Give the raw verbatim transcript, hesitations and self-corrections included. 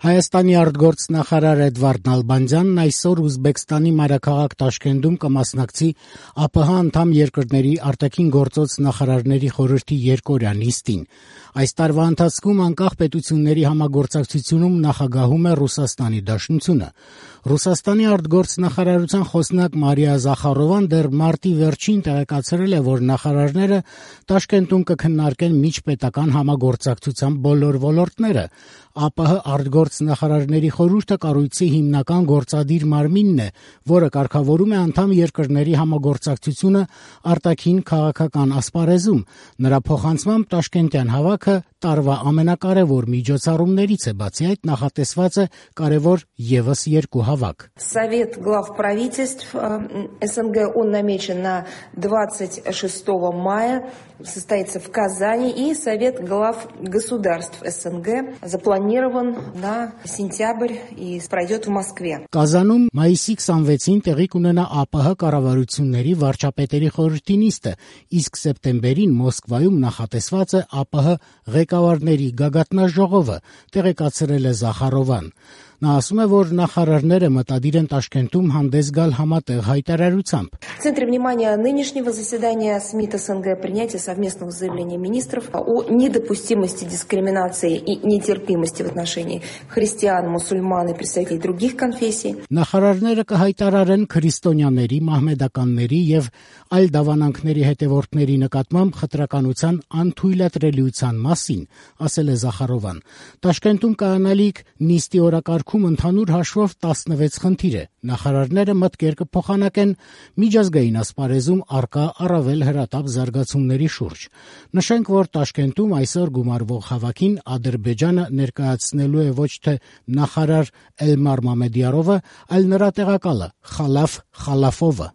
Հայաստանի արտգործնախարար Էդվարդ Նալբանդյանն այսօր Ուզբեկստանի մայրաքաղաք Տաշկենտում կմասնակցի ԱՊՀ անդամ երկրների արտաքին գործոց նախարարների խորհրդի երկօրյա նիստին։ Այս տարվա ընթացքում անկախ պետությունների համագործակցությունում նախագահում է Ռուսաստանի Դաշնությունը։ Ռուսաստանի արտգործնախարարության խոսնակ Մարիա Զախարովան դեռ մարտի վերջին տեղեկացրել է, որ նախարարները Տաշկենտում կքննարկեն միջպետական համագործակցության բոլոր ոլորտները։ ԱՊՀ արտգործնախարարների խորհուրդը կառույցի հիմնական գործադիր մարմինն է, որը կարգավորում է անդամ երկրների համագործակցությունը արտաքին քաղաքական ասպարեզում։ Նրա փոխանցմամբ տաշկենտյան հավաքը տարվա ամենակարևոր միջոցառումներից է, բացի այդ նախատեսված է կարևոր ևս երկու հավաք։ Совет глав правительств СНГ он намечен на двадцать шестого мая, состоится в Казани, и Совет глав государств СНГ запланирован на сентябрь и пройдет в Москве. Կազանում մայիսի քսանվեցին տեղի կունենա ԱՊՀ կառավարությունների վարչապետերի խորհրդի նիստը, իսկ սեպտեմբերին Մոսկվայում նախատեսված է ԱՊՀ ղեկավարների գագաթնաժողովը, տեղեկացրել է Զախարովան։ Նա ասում է, որ նախարարները մտադիր են Տաշկենտում հանդես գալ համատեղ հայտարարությամբ։ В центре внимания нынешнего заседания СМИТ СНГ принятие совместного заявления министров о недопустимости дискриминации и нетерпимости в отношении христиан, мусульман и представителей других конфессий. Նախարարները կհայտարարեն քրիստոնյաների, մահմեդականների եւ այլ դավանանքների հետևորդների նկատմամբ խտրականության անթույլատրելիության մասին, ասել է Զախարովան։ Տաշկենտում կանալիք նիստի օրակարգում ընդհանուր հաշվով տասնվեց խնդիր է։ Նախարարները մտքեր կփոխանակեն միջազգային ասպարեզում առկա առավել հրատապ զարգացումների շուրջ։ Նշենք, որ Տաշկենտում այսօր գումարվող հավաքին Ադրբեջանը ներկայացնելու է ոչ թե նախարար Էլմար Մամեդյարովը, այլ նրա տեղակալը Խալաֆ Խալաֆովը։